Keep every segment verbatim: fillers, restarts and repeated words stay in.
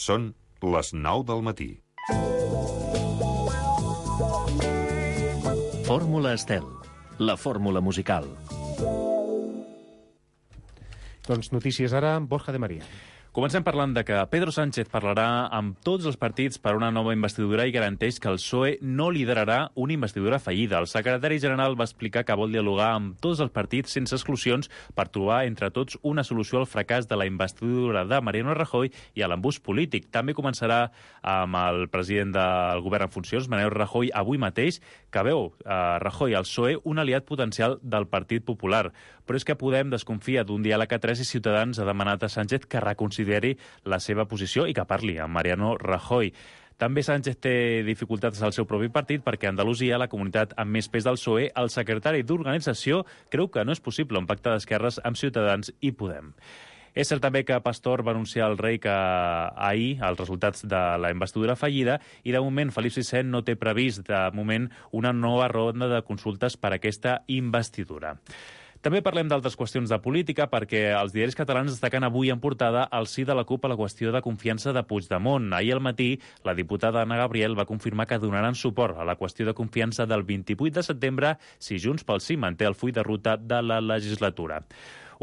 Són les nou del matí. Fórmula Estel, la fórmula musical. Doncs notícies ara amb Borja de María. Comencem parlant de que Pedro Sánchez parlarà amb tots els partits per una nova investidura i garanteix que el P S O E no liderarà una investidura fallida. El secretari general va explicar que vol dialogar amb tots els partits sense exclusions per trobar entre tots una solució al fracàs de la investidura de Mariano Rajoy i a l'embús polític. També començarà amb el president del govern en funcions, Mariano Rajoy, avui mateix, que veu a Rajoy al P S O E un aliat potencial del Partit Popular. Però és que Podem desconfia d'un diàleg a tres i Ciutadans ha demanat a Sánchez que reconsideri la seva posició i que parli amb Mariano Rajoy. També Sánchez té dificultats al seu propi partit perquè a Andalusia, la comunitat amb més pes del P S O E, el secretari d'organització creu que no és possible un pacte d'esquerres amb Ciutadans i Podem. És cert també que Pastor va anunciar al rei que ahir els resultats de la investidura fallida i de moment Felip sisè no té previst de moment una nova ronda de consultes per a aquesta investidura. També parlem d'altres qüestions de política perquè els diaris catalans destaquen avui en portada el sí de la CUP a la qüestió de confiança de Puigdemont. Ahir al matí, la diputada Anna Gabriel va confirmar que donaran suport a la qüestió de confiança del vint-i-vuit de setembre si Junts pel Sí manté el full de ruta de la legislatura.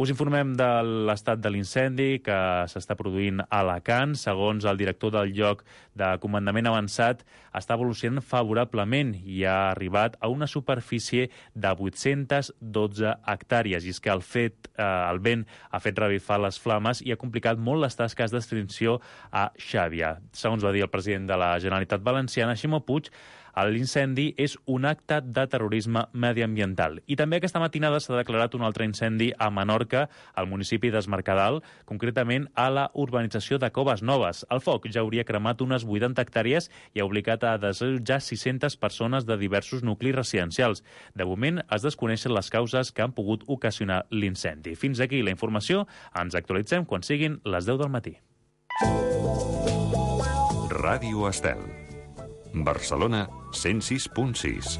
Us informem de l'estat de l'incendi que s'està produint a Alacant. Segons el director del lloc de comandament avançat, està evolucionant favorablement i ha arribat a una superfície de vuit-centes dotze hectàrees. I és que el, fet, eh, el vent ha fet revifar les flames i ha complicat molt les tasques d'extinció a Xàbia. Segons va dir el president de la Generalitat Valenciana, Ximo Puig, l'incendi és un acte de terrorisme mediambiental. I també aquesta matinada s'ha declarat un altre incendi a Menorca, al municipi d'Es Mercadal, concretament a la urbanització de Coves Noves. El foc ja hauria cremat unes vuitanta hectàrees i ha obligat a desallotjar sis-centes persones de diversos nuclis residencials. De moment es desconeixen les causes que han pogut ocasionar l'incendi. Fins aquí la informació. Ens actualitzem quan siguin les deu del matí. Ràdio Estel. Barcelona, cent sis punt sis.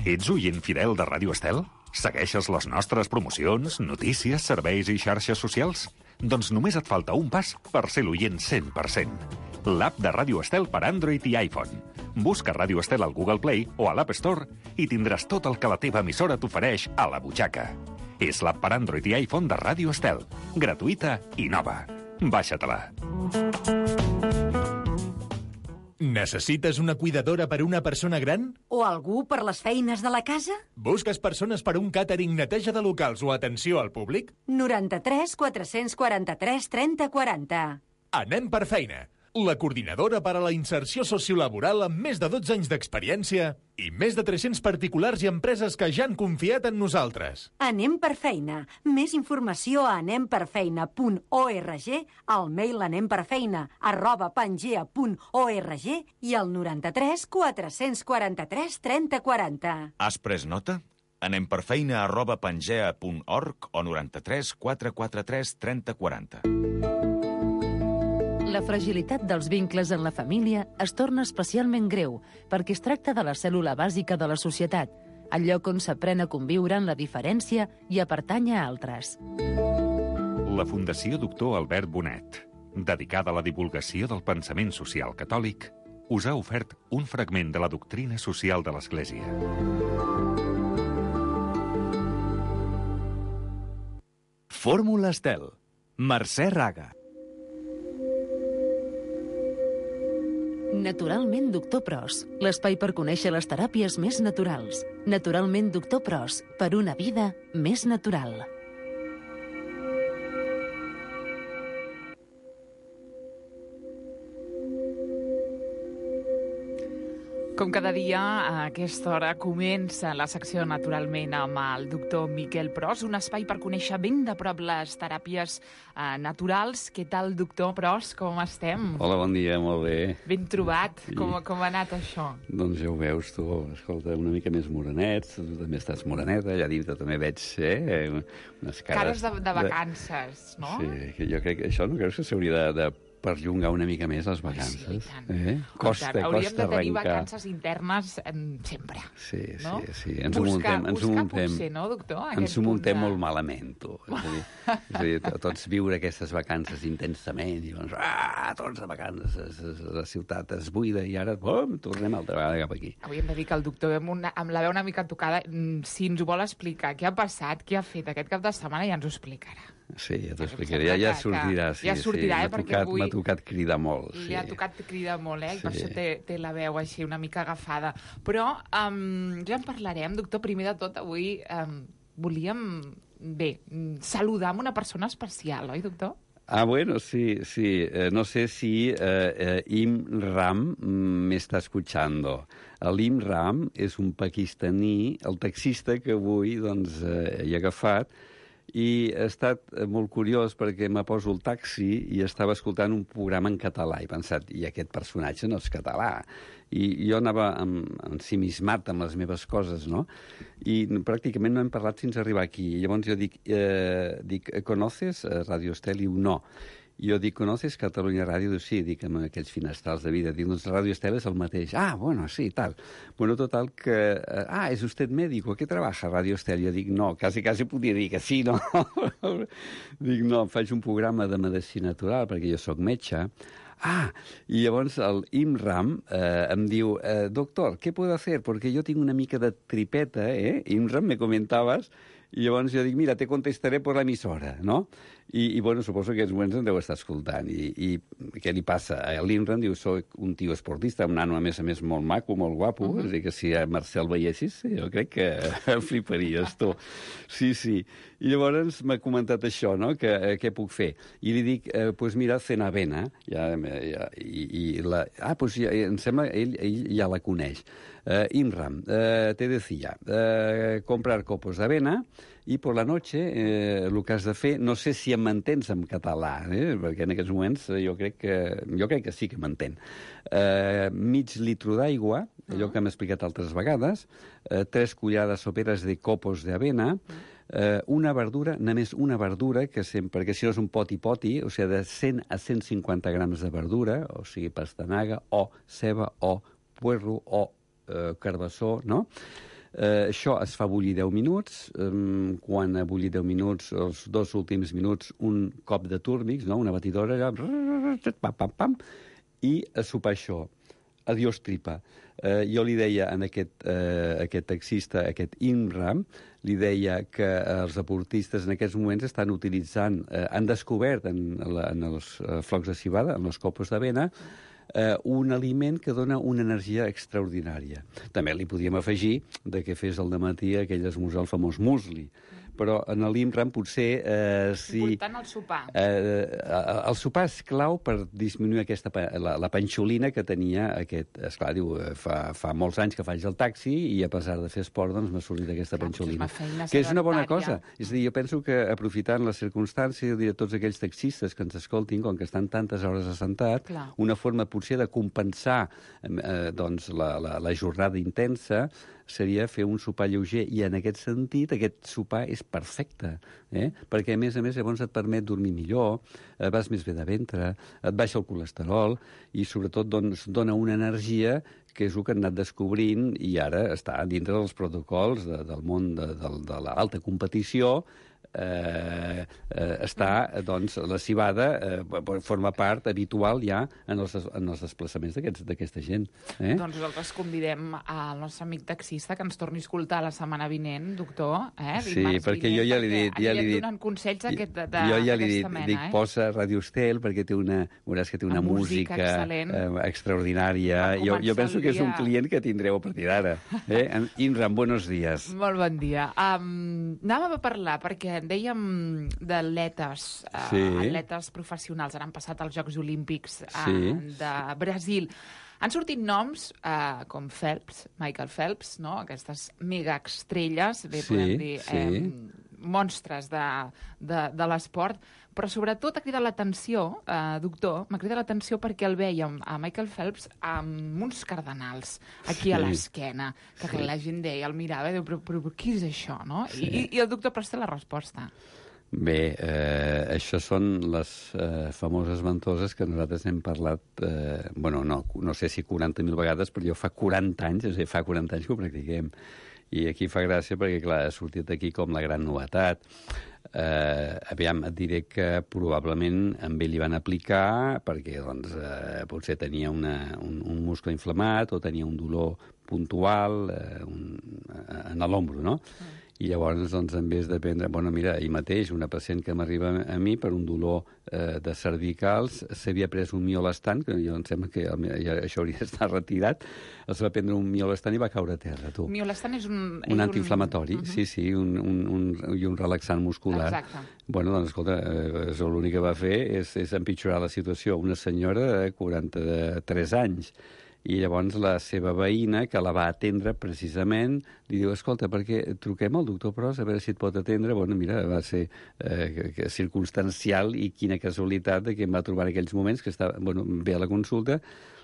Ets oient fidel de Ràdio Estel? Segueixes les nostres promocions, notícies, serveis i xarxes socials? Doncs només et falta un pas per ser l'oient cent per cent. L'app de Ràdio Estel per Android i iPhone. Busca Ràdio Estel al Google Play o a l'App Store i tindràs tot el que la teva emissora t'ofereix a la butxaca. És l'app per Android i iPhone de Ràdio Estel. Gratuïta i nova. Baixa-te-la. Necessites una cuidadora per a una persona gran? O algú per les feines de la casa? Busques persones per a un càtering, neteja de locals o atenció al públic? noranta-tres quatre-cents quaranta-tres trenta quaranta. Anem per feina. La coordinadora per a la inserció sociolaboral amb més de dotze anys d'experiència i més de tres-cents particulars i empreses que ja han confiat en nosaltres. Anem per feina. Més informació a anemperfeina punt org, al mail anemperfeina arroba pangea punt org i al noranta-tres quatre-cents quaranta-tres trenta quaranta. Has pres nota? Anemperfeina arroba pangea punt org o noranta-tres quatre quaranta-tres trenta quaranta. La fragilitat dels vincles en la família es torna especialment greu perquè es tracta de la cèl·lula bàsica de la societat, el lloc on s'aprèn a conviure en la diferència i a pertànyer a altres. La Fundació Doctor Albert Bonet, dedicada a la divulgació del pensament social catòlic, us ha ofert un fragment de la doctrina social de l'Església. Fórmula Estel. Mercè Raga. Naturalment Doctor Pros, l'espai per conèixer les teràpies més naturals. Naturalment Doctor Pros, per una vida més natural. Com cada dia, a aquesta hora comença la secció naturalment amb el doctor Miquel Pros, un espai per conèixer ben de prop les teràpies eh, naturals. Què tal, doctor Pros? Com estem? Hola, bon dia, molt bé. Ben trobat. Com, com ha anat això? Doncs ja ho veus, tu, escolta, una mica més morenet, tu també estàs moreneta, allà dintre també veig eh, unes cares... Cares de, de vacances, de... no? Sí, que jo crec que això no creus que s'hauria de, de perllongar una mica més les vacances. Sí, i tant. Eh? Costa, tant. Hauríem costa de tenir arrencar. vacances internes em, sempre. Sí, no? sí, sí. Ens ho buscar, muntem, ens ho buscar muntem, potser, no, doctor? ens ho muntem molt malament, tu. És a dir, és a dir, tots viure aquestes vacances intensament, i doncs, ah, tots de vacances, la ciutat es buida, i ara, bum, tornem altra vegada cap aquí. Avui hem de dir que el doctor, amb, una, amb la veu una mica tocada, si ens ho vol explicar, què ha passat, què ha fet aquest cap de setmana, ja ens ho explicarà. Sí, ja t'ho explicaré. Ja, ja sortirà, sí. Ja sortirà, sí. eh, perquè tocat, avui... M'ha tocat cridar molt. Li sí. ha tocat cridar molt, eh? I Sí. per això té, té la veu així una mica agafada. Però um, ja en parlarem, doctor. Primer de tot, avui um, volíem, bé, saludar amb una persona especial, oi, doctor? Ah, bueno, sí, sí. Eh, no sé si eh, eh, Im Ram m'està escuchando. L'Im Ram és un pakistaní, el taxista que avui doncs, eh, he agafat, i ha estat molt curiós perquè me poso el taxi i estava escoltant un programa en català i he pensat, i aquest personatge no és català. I jo anava ensimismat amb les meves coses, no? I pràcticament no hem parlat fins a arribar aquí. I llavors jo dic, eh, dic ¿conoces Radio Estel? I diu, no. I jo dic, ¿conoces Catalunya Ràdio? Diu, sí, dic, amb aquells finestrals de vida. Dic, doncs Radio Estel és el mateix. Ah, bueno, sí, tal. Bueno, total que... Eh, ah, ¿es usted médico? ¿Qué trabaja Radio Estel? Jo dic, no, quasi, quasi podria dir que sí, no? Dic, no, faig un programa de medicina natural perquè jo sóc metge. Ah, i llavors el Imram eh, em diu, eh, doctor, ¿qué puedo hacer? Porque yo tengo una mica de tripeta, ¿eh? Imram, me comentabas. I llavors jo dic, mira, te contestaré per l'emissora, no? I, i bueno, suposo que aquests moments em deu estar escoltant. I, i què li passa? A l'Imran diu, soc un tio esportista, un nano, a més a més, molt maco, molt guapo. Uh -huh. És a dir, que si a Marcel veiessis, jo crec que el fliparies, tu. Sí, sí. I llavors m'ha comentat això, no?, que eh, què puc fer. I li dic, eh, pues mira, Cenavena, ja, ja, i, i la... Ah, pues ja, em sembla, ell, ell ja la coneix. Uh, Imram, uh, te decía, uh, comprar copos d'avena i per la noche eh, el que has de fer, no sé si em mantens en català, eh, perquè en aquests moments jo crec que, jo crec que sí que m'entén. Uh, mig litro d'aigua, allò que hem explicat altres vegades, uh, tres cullades soperes de copos d'avena, Uh, una verdura, només una verdura, que sempre, perquè si no és un poti-poti, o sigui, de cent a cent cinquanta grams de verdura, o sigui, pastanaga, o ceba, o puerro, o uh, carbassó, no? Uh, això es fa bullir deu minuts. Um, quan ha bullit deu minuts, els dos últims minuts, un cop de túrmix, no? Una batidora, allà, pam, pam, pam, i a sopar això. Adiós tripa. Uh, jo li deia a aquest, uh, aquest taxista, aquest Imram, li deia que els deportistes en aquests moments estan utilitzant, uh, han descobert en, la, en els uh, flocs de civada, en els copos d'avena, uh, un aliment que dona una energia extraordinària. També li podíem afegir de que fes al dematí aquell esmorzar, el famós musli. Però en l'Imram potser... Eh, si, important el sopar. Eh, el sopar és clau per disminuir aquesta, la, la panxolina que tenia aquest... Esclar, diu, fa, fa molts anys que faig el taxi i a pesar de fer esport doncs m'ha sortit aquesta Clar, panxolina. És que és una bona cosa. És a dir, jo penso que aprofitant les circumstàncies de tots aquells taxistes que ens escoltin, com que estan tantes hores assentat, Clar. una forma potser de compensar eh, doncs, la, la, la jornada intensa seria fer un sopar lleuger, i en aquest sentit aquest sopar és perfecte, eh? Perquè a més a més llavors et permet dormir millor, eh, vas més bé de ventre, et baixa el colesterol i sobretot doncs, dona una energia que és el que han anat descobrint i ara està dintre dels protocols de, del món de, de, de l'alta competició. Eh, eh, està, doncs, la civada eh, forma part habitual ja en els, en els desplaçaments d'aquesta gent. Eh? Doncs nosaltres convidem al nostre amic taxista que ens torni a escoltar la setmana vinent, doctor. Eh? Sí, perquè vinent, jo ja li he dit... Ja li he dit donant consells aquest, de, de, jo ja li he dit, mena, dic, eh? posa Radio Estel perquè té una, veuràs que té una, una música, música eh, extraordinària. Jo, jo penso que és un client que tindreu a partir d'ara. Eh? Imran, buenos días. Molt bon dia. Um, anàvem a parlar perquè dèiem d'atletes, sí. uh, atletes professionals. Ara han passat als Jocs Olímpics uh, sí. de Brasil. Han sortit noms uh, com Phelps, Michael Phelps, no? Aquestes megaestrelles, bé sí, podem dir, sí. eh, monstres de, de, de l'esport, però sobretot ha cridat l'atenció, eh, doctor, m'ha cridat l'atenció perquè el vèiem a Michael Phelps amb uns cardenals aquí sí. a l'esquena, que sí. la gent deia, el mirava i diu, però, però, però què és això, no? Sí. I, I el doctor presta la resposta. Bé, eh, això són les eh, famoses ventoses que nosaltres hem parlat, eh, bueno, no, no sé si quaranta mil vegades, però jo fa quaranta anys, és a dir, fa quaranta anys que ho practiquem. I aquí fa gràcia perquè, clar, ha sortit aquí com la gran novetat. Eh, aviam, et diré que probablement amb ell li van aplicar perquè doncs, eh, potser tenia una, un, un muscle inflamat o tenia un dolor puntual eh, un, en l'ombro, no? Mm. I llavors, doncs, en vez de prendre... Bueno, mira, ahir mateix, una pacient que m'arriba a mi per un dolor eh, de cervicals s'havia pres un miolastant, que jo em sembla que ja, això hauria d'estar retirat, es va prendre un miolastant i va caure a terra, tu. Miolastant és un... Un antiinflamatori, un... Uh -huh. sí, sí, un, un, un, i un relaxant muscular. Exacte. Bueno, doncs, escolta, eh, l'únic que va fer és, és empitjorar la situació. Una senyora de quaranta-tres anys, i llavors la seva veïna, que la va atendre precisament, li diu, escolta, perquè truquem al doctor Pros a veure si et pot atendre. Bueno, mira, va ser eh, que, circumstancial i quina casualitat de que em va trobar en aquells moments, que estava, bueno, ve a la consulta,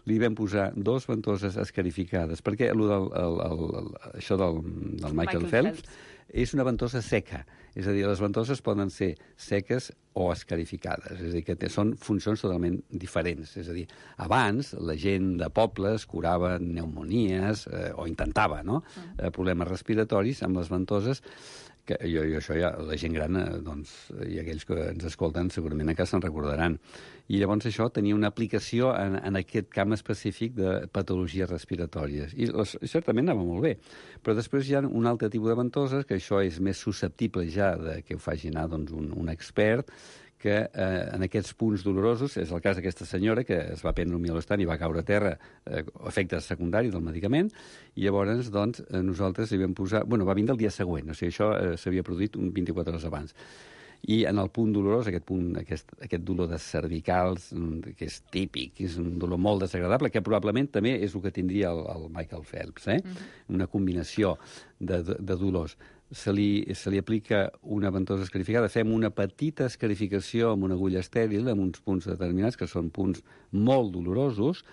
li vam posar dos ventoses escarificades, perquè el, el, el, el, això del, del Michael, Michael Phelps, Phelps és una ventosa seca. És a dir, les ventoses poden ser seques o escarificades. És a dir, que té, són funcions totalment diferents. És a dir, abans la gent de pobles curava pneumonies, eh, o intentava, no?, eh, problemes respiratoris amb les ventoses, que jo, jo això ja, la gent gran, eh, doncs, i aquells que ens escolten segurament encara se'n recordaran. I llavors això tenia una aplicació en, en aquest camp específic de patologies respiratòries. I les, certament anava molt bé. Però després hi ha un altre tipus de ventoses, que això és més susceptible ja de que ho faci anar doncs, un, un expert, que eh, en aquests punts dolorosos, és el cas d'aquesta senyora que es va prendre un miolastant i va caure a terra, eh, efectes secundaris del medicament, i llavors doncs, nosaltres li vam posar... Bueno, va vindre el dia següent, o sigui, això eh, s'havia produït un vint-i-quatre hores abans. I en el punt dolorós, aquest, punt, aquest, aquest dolor de cervicals, que és típic, que és un dolor molt desagradable, que probablement també és el que tindria el, el Michael Phelps, eh? Uh-huh. Una combinació de, de, de dolors. Se li, se li aplica una ventosa escarificada, fem una petita escarificació amb una agulla estèril, amb uns punts determinats, que són punts molt dolorosos,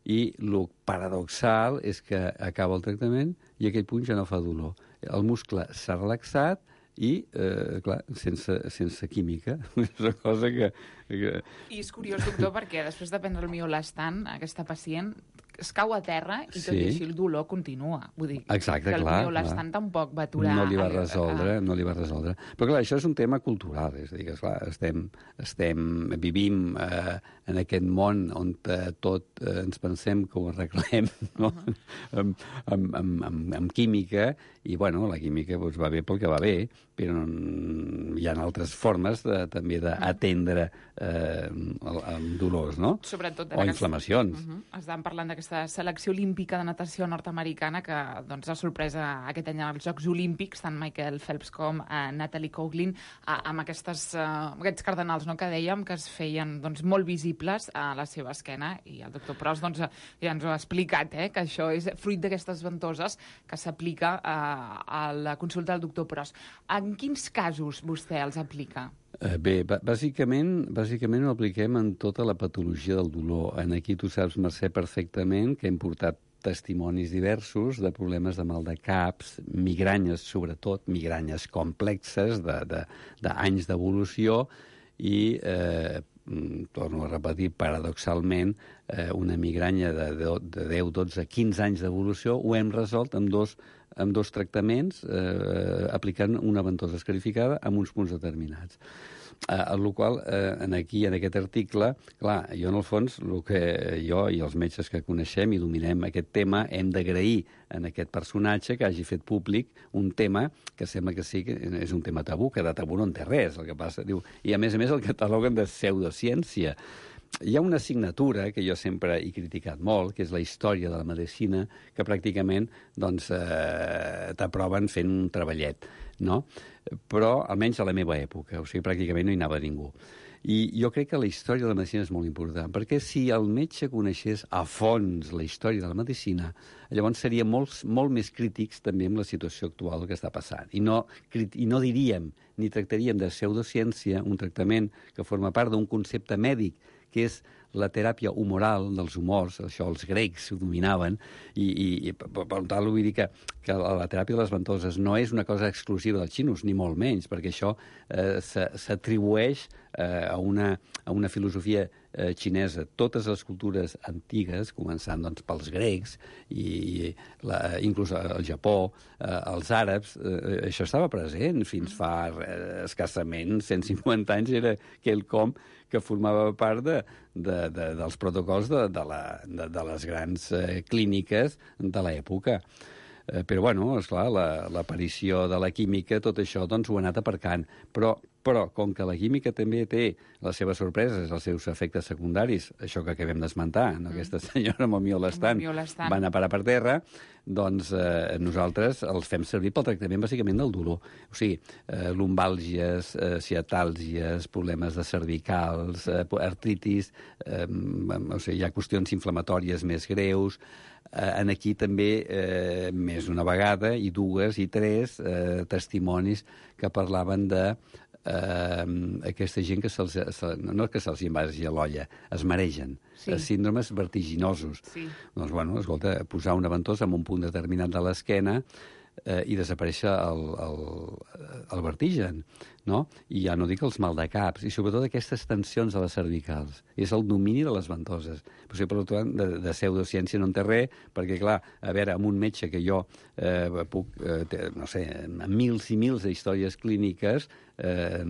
i el paradoxal és que acaba el tractament i aquell punt ja no fa dolor. El muscle s'ha relaxat i, eh, clar, sense, sense química. És una cosa que, que... I és curiós, doctor, perquè després de prendre el miolastant, aquesta pacient es cau a terra i tot sí. i així el dolor continua. Vull dir, exacte, que el clar, miolastant clar. tampoc va aturar... No li va resoldre, a... no li va resoldre. Però clar, això és un tema cultural, és a dir, que esclar, estem, estem, vivim eh, en aquest món on eh, tot eh, ens pensem que ho arreglem, no? Uh -huh. amb, amb, amb, amb, amb química, i bueno, la química doncs, va bé pel que va bé, però hi ha altres formes de, també d'atendre eh, amb dolors, no? Sobretot o inflamacions. Uh -huh. Estàvem parlant d'aquesta selecció olímpica de natació nord-americana que doncs, ha sorprès aquest any als Jocs Olímpics, tant Michael Phelps com eh, Natalie Coughlin, eh, amb aquestes, eh, aquests cardenals, no?, que dèiem que es feien doncs, molt visibles a la seva esquena, i el doctor Pros doncs, ja ens ho ha explicat, eh, que això és fruit d'aquestes ventoses que s'aplica eh, a la consulta del doctor Pros. En quins casos vostè els aplica? Eh, bé, bàsicament, bàsicament ho apliquem en tota la patologia del dolor. En aquí tu saps, Mercè, perfectament que hem portat testimonis diversos de problemes de mal de caps, migranyes, sobretot, migranyes complexes d'anys d'evolució i, eh, torno a repetir, paradoxalment, eh, una migranya de deu, dotze, quinze anys d'evolució ho hem resolt amb dos amb dos tractaments, eh, aplicant una ventosa escarificada amb uns punts determinats. Eh, el qual, eh, en aquí, en aquest article, clar, jo en el fons, el que jo i els metges que coneixem i dominem aquest tema, hem d'agrair en aquest personatge que hagi fet públic un tema que sembla que sí que és un tema tabú, que de tabú no en té res, el que passa. Diu, i a més a més el cataloguen de pseudociència. Hi ha una assignatura que jo sempre he criticat molt, que és la història de la medicina, que pràcticament doncs, eh, t'aproven fent un treballet, no? Però almenys a la meva època, o sigui, pràcticament no hi anava ningú. I jo crec que la història de la medicina és molt important, perquè si el metge coneixés a fons la història de la medicina, llavors seríem molt, molt més crítics també amb la situació actual que està passant. I no, i no diríem ni tractaríem de pseudociència un tractament que forma part d'un concepte mèdic, que és la teràpia humoral dels humors, això els grecs ho dominaven, i, i, i per, per tant vull dir que, que la, la teràpia de les ventoses no és una cosa exclusiva dels xinos, ni molt menys, perquè això eh, s'atribueix eh, a, una, a una filosofia eh, xinesa. Totes les cultures antigues, començant doncs, pels grecs, i la, inclús el Japó, eh, els àrabs, eh, això estava present fins fa eh, escassament cent cinquanta anys, era quelcom que formava part de, de, de, dels protocols de, de, la, de, de les grans eh, clíniques de l'època. Eh, però, bueno, esclar, l'aparició la, de la química, tot això, doncs, ho ha anat aparcant. Però, però, com que la química també té les seves sorpreses, els seus efectes secundaris, això que acabem d'esmentar, no? Mm. Aquesta senyora amb el miolestant va anar a parar per terra, doncs eh, nosaltres els fem servir pel tractament bàsicament del dolor. O sigui, eh, lumbàlgies, eh, ciatàlgies, problemes de cervicals, eh, artritis, eh, o sigui, hi ha qüestions inflamatòries més greus. Eh, en aquí també, eh, més d'una vegada, i dues i tres eh, testimonis que parlaven de eh, aquesta gent que se'ls... Se, no que se'ls invasi a l'olla, es maregen. Sí. Síndromes vertiginosos. Sí. Doncs, bueno, escolta, posar una ventosa en un punt determinat de l'esquena eh, i desaparèixer el, el, el vertigen, no? I ja no dic els maldecaps, i sobretot aquestes tensions a les cervicals. És el domini de les ventoses. Però, per tant, de, de pseudociència no en té res, perquè, clar, a veure, amb un metge que jo eh, puc, eh, té, no sé, amb mils i mils d'històries clíniques, eh,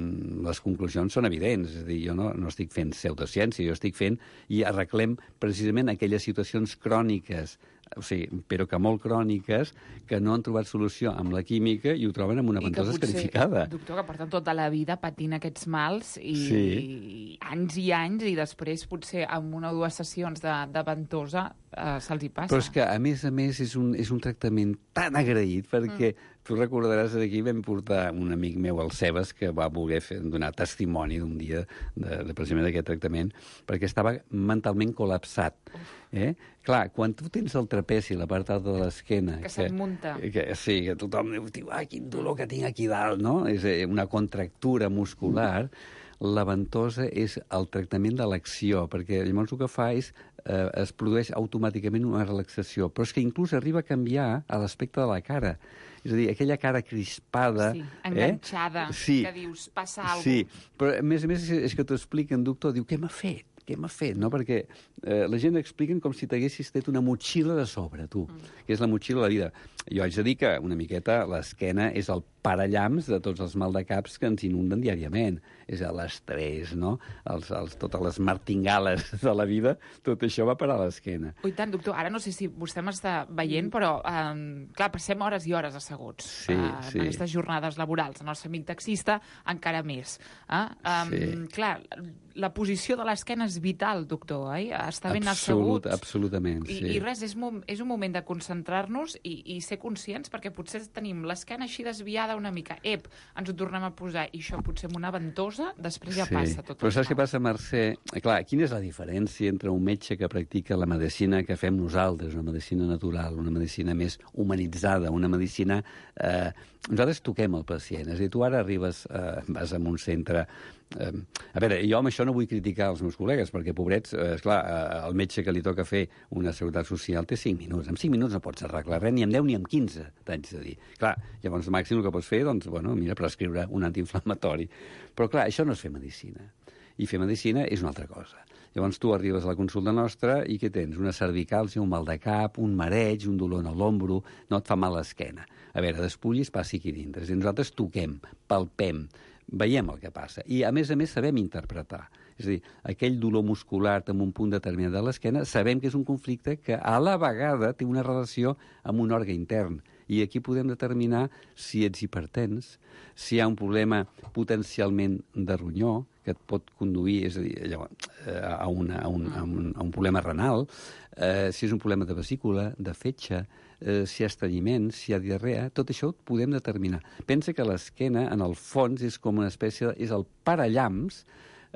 les conclusions són evidents. És a dir, jo no, no estic fent pseudociència, jo estic fent i arreglem precisament aquelles situacions cròniques, o sigui, però que molt cròniques, que no han trobat solució amb la química i ho troben amb una ventosa escarificada. Doctor, que porten tota la vida patint aquests mals i, sí. i anys i anys, i després potser amb una o dues sessions de, de ventosa eh, se'ls hi passa. Però és que, a més a més, és un, és un tractament tan agraït, perquè mm. tu recordaràs que aquí vam portar un amic meu, el Cebes, que va voler fer, donar testimoni d'un dia de, de precisament d'aquest tractament, perquè estava mentalment col·lapsat. Eh? Clar, quan tu tens el trapeci, la part alta de l'esquena... Que, que se't munta. Que, sí, que tothom diu, ai, quin dolor que tinc aquí dalt, no? És una contractura muscular. La ventosa és el tractament de l'acció, perquè llavors el que fa és eh, es produeix automàticament una relaxació, però és que inclús arriba a canviar a l'aspecte de la cara. És a dir, aquella cara crispada... Sí, enganxada, eh? Sí, que dius, passa alguna cosa. Sí, però a més a més és que t'ho expliquen, doctor, diu, què m'ha fet? Què m'ha fet? No? Perquè eh, la gent expliquen com si t'haguessis tret una motxilla de sobre, tu, mm. que és la motxilla de la vida. Jo haig de dir que una miqueta l'esquena és el parallams de tots els maldecaps que ens inunden diàriament. És l'estrès, no? Els, els, totes les martingales de la vida, tot això va parar a l'esquena. Ui, tant, doctor, ara no sé si vostè m'està veient, però, eh, clar, passem hores i hores asseguts sí, eh, sí. en aquestes jornades laborals. El nostre amic taxista encara més. Eh? Um, sí. Clar, la posició de l'esquena és vital, doctor, eh? Està ben Absolut, assegut. Absolutament, I, sí. I res, és, és un moment de concentrar-nos i, i ser conscients, perquè potser tenim l'esquena així desviada una mica. Ep, ens ho tornem a posar, i això potser amb una ventosa, després ja sí. passa tot. Però saps què passa, Mercè? Clar, quina és la diferència entre un metge que practica la medicina que fem nosaltres, una medicina natural, una medicina més humanitzada, una medicina... Eh, nosaltres toquem el pacient. És a dir, tu ara arribes, eh, vas a un centre... Eh, a veure, jo amb això no vull criticar els meus col·legues, perquè, pobrets, eh, esclar, eh, el metge que li toca fer una seguretat social té cinc minuts. En cinc minuts no pots arreglar res, ni en deu ni en quinze, t'haig de dir. Clar, llavors, màxim el que pots fer, doncs, bueno, mira, prescriure un antiinflamatori. Però, clar, això no és fer medicina. I fer medicina és una altra cosa. Llavors tu arribes a la consulta nostra i què tens? Una cervicàlgia, un mal de cap, un mareig, un dolor a l'ombro, no et fa mal l'esquena. A veure, despullis, passi aquí dintre. I nosaltres toquem, palpem, veiem el que passa. I, a més a més, sabem interpretar. És a dir, aquell dolor muscular en un punt determinat de l'esquena, sabem que és un conflicte que a la vegada té una relació amb un òrgan intern. I aquí podem determinar si ets hipertens, si hi ha un problema potencialment de ronyó, que et pot conduir, és a dir, llavors, a, una, a, un, a, un, a un problema renal, eh, si és un problema de vesícula, de fetge, eh, si hi ha estrenyiment, si hi ha diarrea, tot això ho podem determinar. Pensa que l'esquena, en el fons, és com una espècie, és el parallams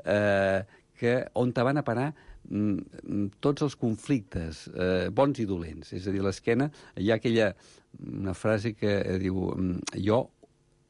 eh, que, on te van a parar mm, tots els conflictes, eh, bons i dolents. És a dir, l'esquena, hi ha aquella una frase que diu, jo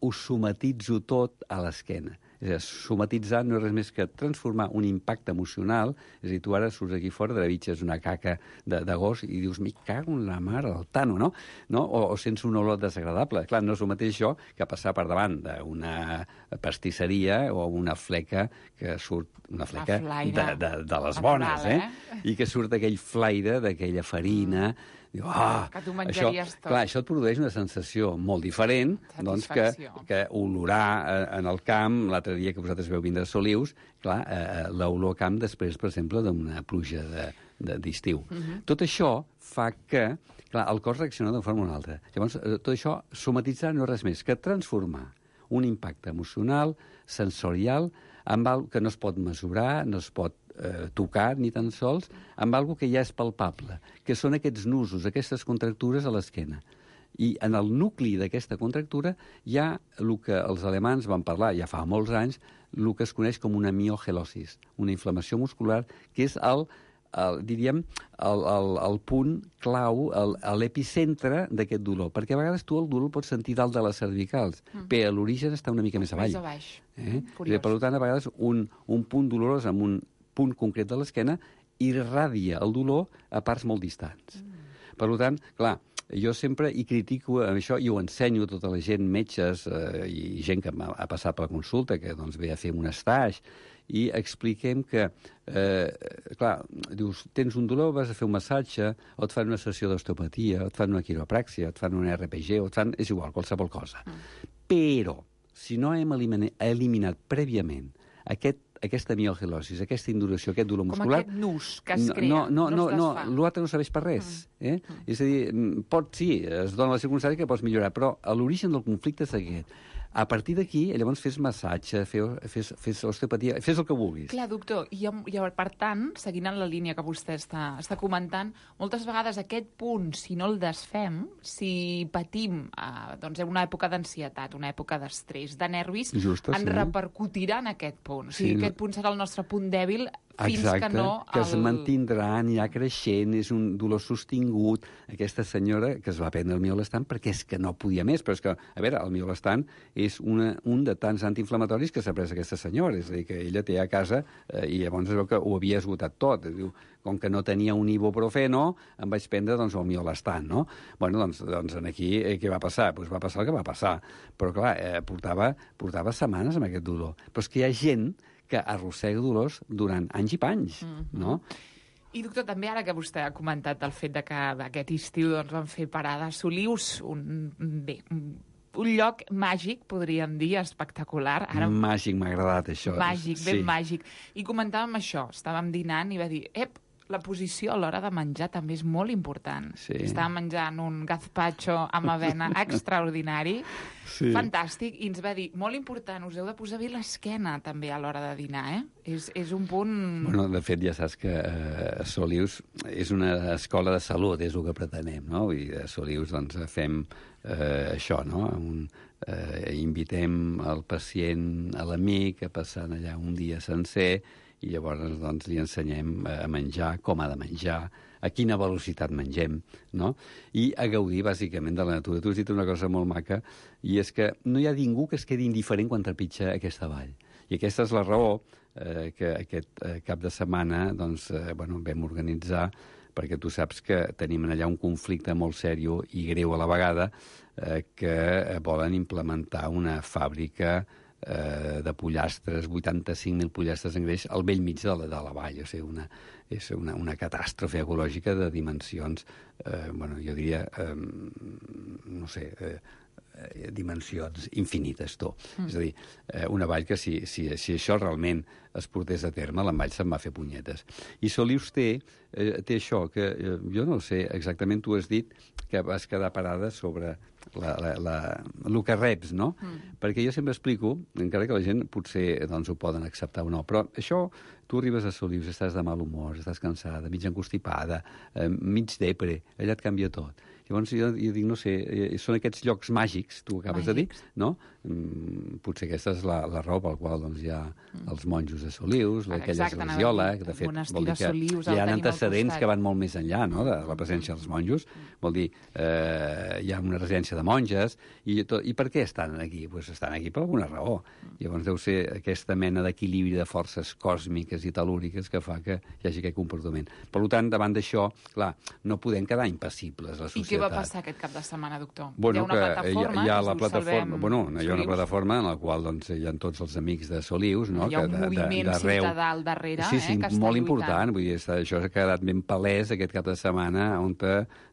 ho somatitzo tot a l'esquena. És a dir, somatitzar no és res més que transformar un impacte emocional, és a dir, tu ara surts aquí fora, travitges una caca de, de gos i dius, me cago en la mare del Tano, no? no? O, o sents una olor desagradable. Clar, no és el mateix això que passar per davant d'una pastisseria o una fleca que surt, una fleca de, de, de les bones, eh? I que surt aquell flaire, d'aquella farina... Mm. Diu, ah, que tu menjaries això, tot. clar, això et produeix una sensació molt diferent doncs, que, que olorar en el camp, l'altre dia que vosaltres veu vindre a Solius, clar, eh, l'olor camp després, per exemple, d'una pluja d'estiu. De, de, uh-huh. Tot això fa que, clar, el cos reacciona d'una forma o una altra. Llavors, tot això, somatitzar no és res més que transformar un impacte emocional, sensorial, amb alguna que no es pot mesurar, no es pot eh, tocar ni tan sols, amb alguna que ja és palpable, que són aquests nusos, aquestes contractures a l'esquena. I en el nucli d'aquesta contractura hi ha el que els alemans van parlar ja fa molts anys, el que es coneix com una miogelosis, una inflamació muscular, que és el, el diríem, el, el, el punt clau, l'epicentre d'aquest dolor. Perquè a vegades tu el dolor el pots sentir dalt de les cervicals, mm. però l'origen està una mica més avall. Més a baix. Eh? I, per tant, a vegades un, un punt dolorós amb un punt concret de l'esquena irradia el dolor a parts molt distants. Mm. Per tant, clar, jo sempre hi critico això i ho ensenyo a tota la gent, metges eh, i gent que ha passat per la consulta, que doncs, ve a fer un estage, i expliquem que, eh, clar, dius, tens un dolor, vas a fer un massatge, o et fan una sessió d'osteopatia, o et fan una quiropràxia, o et fan un R P G, o et fan, és igual, qualsevol cosa. Mm. Però, si no hem eliminat, eliminat prèviament aquest aquesta miogelosis, aquesta induració, aquest dolor muscular... Com aquest nus que es crea, no, no, no, no es desfà. No, l'altre no serveix per res. Eh? Mm. És a dir, pot, sí, es dona la circumstància que pots millorar, però l'origen del conflicte és aquest. A partir d'aquí, llavors fes massatge, fes, fes osteopatia, fes el que vulguis. Clar, doctor, i, i per tant, seguint en la línia que vostè està, està comentant, moltes vegades aquest punt, si no el desfem, si patim eh, doncs, una època d'ansietat, una època d'estrès, de nervis, Justa, en sí. repercutirà en aquest punt. O sigui, sí, aquest punt serà el nostre punt dèbil fins Exacte, que no... que es el... mantindrà, anirà creixent, és un dolor sostingut. Aquesta senyora que es va prendre el miolestant perquè és que no podia més, però és que, a veure, el miolestant és una, un de tants antiinflamatoris que s'ha pres aquesta senyora, és a dir, que ella té a casa eh, i llavors es veu que ho havia esgotat tot. Diu, com que no tenia un ibuprofeno, em vaig prendre doncs, el miolestant, no? Bueno, doncs, doncs aquí eh, què va passar? Pues va passar el que va passar. Però, clar, eh, portava, portava setmanes amb aquest dolor. Però és que hi ha gent que arrossega dolors durant anys i panys, mm-hmm. no? I, doctor, també ara que vostè ha comentat el fet de que aquest estiu doncs, van fer parada a Solius, un, bé, un lloc màgic, podríem dir, espectacular. Ara... Màgic, m'ha agradat això. Màgic, ben sí. màgic. I comentàvem això, estàvem dinant i va dir, ep, la posició a l'hora de menjar també és molt important. Sí. Estàvem menjant un gazpacho amb avena extraordinari, sí. fantàstic, i ens va dir, molt important, us heu de posar bé l'esquena també a l'hora de dinar, eh? És, és un punt... Bueno, de fet, ja saps que eh, Solius és una escola de salut, és el que pretenem, no? I a Solius doncs, fem eh, això, no? Un, eh, invitem el pacient, a l'amic, a passar allà un dia sencer, i llavors doncs, li ensenyem a menjar, com ha de menjar, a quina velocitat mengem, no? I a gaudir, bàsicament, de la natura. Tu has dit una cosa molt maca, i és que no hi ha ningú que es quedi indiferent quan trepitja aquesta vall. I aquesta és la raó eh, que aquest eh, cap de setmana doncs, eh, bueno, vam organitzar, perquè tu saps que tenim allà un conflicte molt sèrio i greu a la vegada, eh, que volen implementar una fàbrica Eh, de pollastres, vuitanta-cinc mil pollastres en greix al vell mig de la, de la vall. O sigui, una, és una, una catàstrofe ecològica de dimensions, eh, bueno, jo diria, eh, no sé, eh, eh, dimensions infinites, tu. Mm. És a dir, eh, una vall que si, si, si això realment es portés a terme, la vall se'n va fer punyetes. I Solius té, eh, té això, que eh, jo no sé exactament, tu has dit que vas quedar parada sobre la, la, la, el que reps, no? Mm. Perquè jo sempre explico, encara que la gent potser doncs, ho poden acceptar o no, però això, tu arribes a Solius, estàs de mal humor, estàs cansada, mig encostipada, eh, mig depre, allà et canvia tot. Llavors jo, jo dic, no sé, són aquests llocs màgics, tu acabes màgics. de dir, no? Mm, potser aquesta és la, la raó pel qual doncs, hi ha mm. els monjos de Solius, aquella esglesiola, que de fet vol dir que Solius, hi ha antecedents que van molt més enllà, no?, de la presència dels monjos. Vol dir, eh, hi ha una residència de monges, i, tot, i per què estan aquí? Pues estan aquí per alguna raó. Llavors deu ser aquesta mena d'equilibri de forces còsmiques i telúriques que fa que hi hagi aquest comportament. Per tant, davant d'això, clar, no podem quedar impassibles, la societat. I què va passar aquest cap de setmana, doctor? Bueno, hi ha una plataforma, hi ha, hi ha la plataforma, bueno, hi ha una Solius. plataforma en la qual doncs, hi ha tots els amics de Solius, no? Hi ha un que de, moviment de, de ciutadà al darrere, sí, sí, eh, que està molt lluitant. important. Vull dir, això ha quedat ben palès aquest cap de setmana, on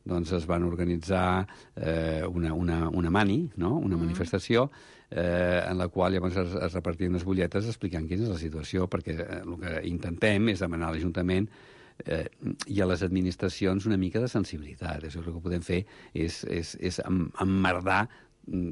doncs, es van organitzar eh, una, una, una mani, no? una mm. manifestació, eh, en la qual llavors es, es repartien unes butlletes explicant quina és la situació, perquè eh, el que intentem és demanar a l'Ajuntament eh, i a les administracions una mica de sensibilitat. Això el que podem fer és, és, és emmerdar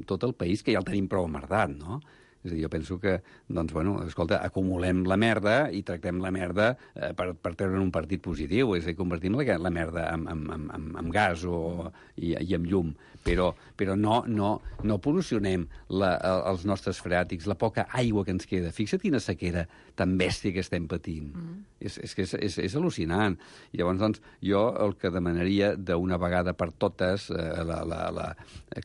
tot el país, que ja el tenim prou emmerdat, no? És a dir, jo penso que, doncs, bueno, escolta, acumulem la merda i tractem la merda eh, per, per treure un partit positiu, és a dir, convertim la, la merda en, en, en, en gas o, i, i en llum, però, però no, no, no pol·lucionem la, els nostres freàtics, la poca aigua que ens queda. Fixa't quina sequera tan bèstia que estem patint. Mm. És, és que és, és, és al·lucinant. I llavors, doncs, jo el que demanaria d'una vegada per totes, eh, la, la, la...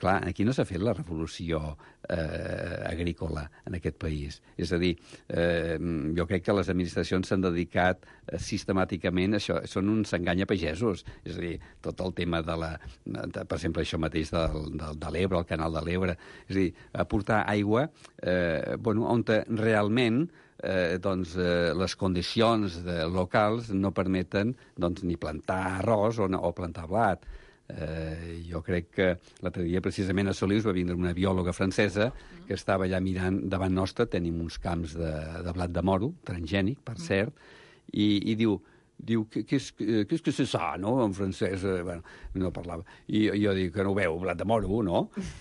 clar, aquí no s'ha fet la revolució eh, agrícola en aquest país. És a dir, eh, jo crec que les administracions s'han dedicat eh, sistemàticament, això, són uns enganyapagesos. És a dir, tot el tema de la... De, per exemple, això mateix del, del, de l'Ebre, el canal de l'Ebre. És a dir, aportar aigua eh, bueno, on realment eh, doncs, eh, les condicions de, locals no permeten doncs, ni plantar arròs o, o plantar blat. Eh, jo crec que l'altre dia precisament a Solius va vindre una biòloga francesa que estava allà mirant davant nostre, tenim uns camps de, de blat de moro, transgènic, per cert, i, i diu, diu, qu'est-ce que c'est ça, no?, en francès, eh, bueno, no parlava. I jo dic, que no ho veu, blat de moro, no?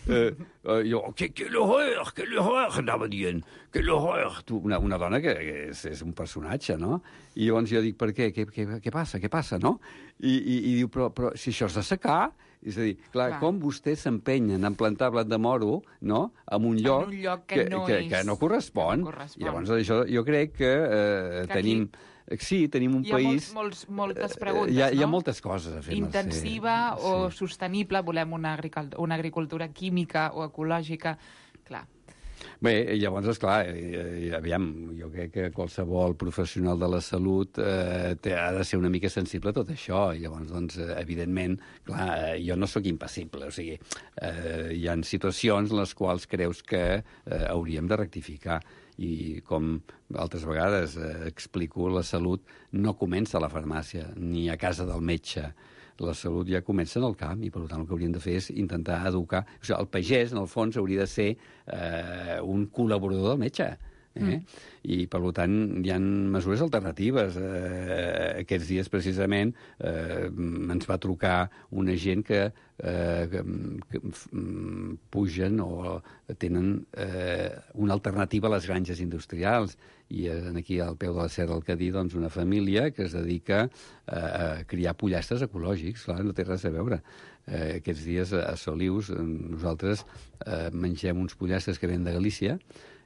Eh, eh, jo, que, que l'horreur, que l'horreur, anava dient, que l'horreur. Una, una dona que, que és, és un personatge, no? I llavors jo dic, per què? Què, què, què passa? Què passa, no? I, i, i diu, però, però si això és de secar... És a dir, clar, clar. com vostès s'empenyen en plantar blat de moro, no?, en un lloc, en un lloc que, que, no que, és... que no correspon. Que no correspon. I llavors això, jo crec que, eh, que tenim... Aquí... Sí, tenim un hi ha país... Molts, molts, moltes preguntes, hi ha, no? Hi ha moltes coses a fer. Intensiva sí. o sostenible, volem una, una agricultura química o ecològica, clar. Bé, llavors, esclar, eh, aviam, jo crec que qualsevol professional de la salut eh, té, ha de ser una mica sensible a tot això. I llavors, doncs, evidentment, clar, jo no sóc impassible. O sigui, eh, hi ha situacions en les quals creus que eh, hauríem de rectificar. I com altres vegades eh, explico, la salut no comença a la farmàcia ni a casa del metge. La salut ja comença en el camp i, per tant, el que hauríem de fer és intentar educar. O sigui, el pagès, en el fons, hauria de ser eh, un col·laborador del metge. Eh? Mm. I, per tant, hi ha mesures alternatives. Eh, aquests dies, precisament, eh, ens va trucar una gent que, eh, que, que pugen o tenen eh, una alternativa a les granges industrials. I aquí, al peu de la Serra del Cadí, doncs, una família que es dedica a criar pollastres ecològics. Clar, no té res a veure. Eh, aquests dies, a Solius, nosaltres eh, mengem uns pollastres que venen de Galícia.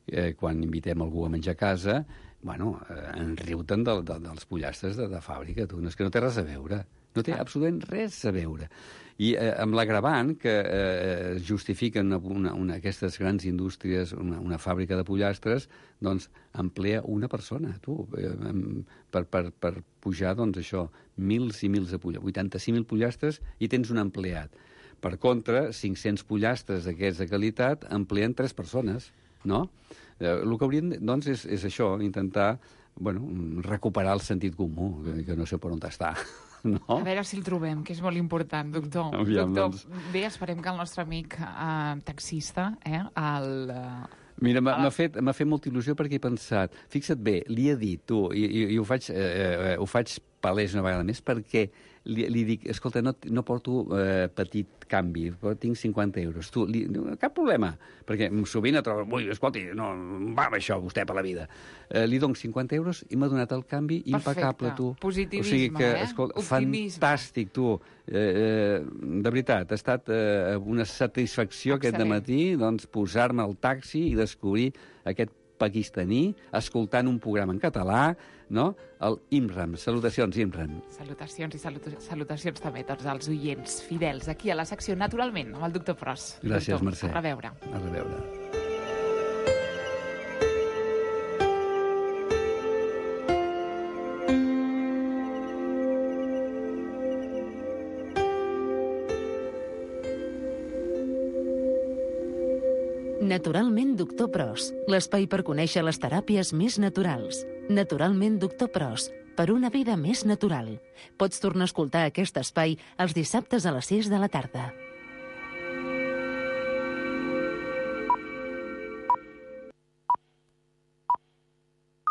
Eh, quan invitem algú a menjar a casa, bueno, eh, en riuten de, de, dels pollastres de, de fàbrica. Tu. No, és que no té res a veure. No té absolutament res a veure. I eh, amb l'agravant que eh, justifiquen una, una, una, aquestes grans indústries, una, una fàbrica de pollastres, doncs emplea una persona, tu, eh, per, per, per pujar, doncs això, mils i mils de pollastres, vuitanta-cinc mil pollastres, i tens un empleat. Per contra, cinc-cents pollastres d'aquests de qualitat empleen tres persones, no? Eh, el que hauríem, doncs, és, és això, intentar, bueno, recuperar el sentit comú, que, que no sé per on està. No? A veure si el trobem, que és molt important, doctor. Aviam, doctor, doncs... bé, esperem que el nostre amic eh, taxista, eh, el... Eh, Mira, m'ha la... fet, fet molta il·lusió perquè he pensat, fixa't bé, li he dit, tu, i, i, i ho, faig, eh, eh, ho faig palès una vegada més, perquè li, li dic, escolta, no, no porto eh, petit canvi, però tinc cinquanta euros. Tu, li, cap problema, perquè sovint et trobes, ui, escolti, no va amb això vostè per la vida. Eh, li dono cinquanta euros i m'ha donat el canvi impecable, tu. Positivisme, o sigui que, eh? Escolta, Optimisme. Fantàstic, tu. Eh, eh, de veritat, ha estat eh, una satisfacció Excel·lent. aquest dematí doncs, posar-me al taxi i descobrir aquest pakistaní, escoltant un programa en català, no? El Imran. Salutacions, Imran. Salutacions i salut salutacions també a tots els oients fidels aquí a la secció Naturalment, amb el doctor Pros. Gràcies, doctor, Mercè. A reveure. A reveure. Naturalment, doctor Pros, l'espai per conèixer les teràpies més naturals. Naturalment, doctor Pros, per una vida més natural. Pots tornar a escoltar aquest espai els dissabtes a les sis de la tarda.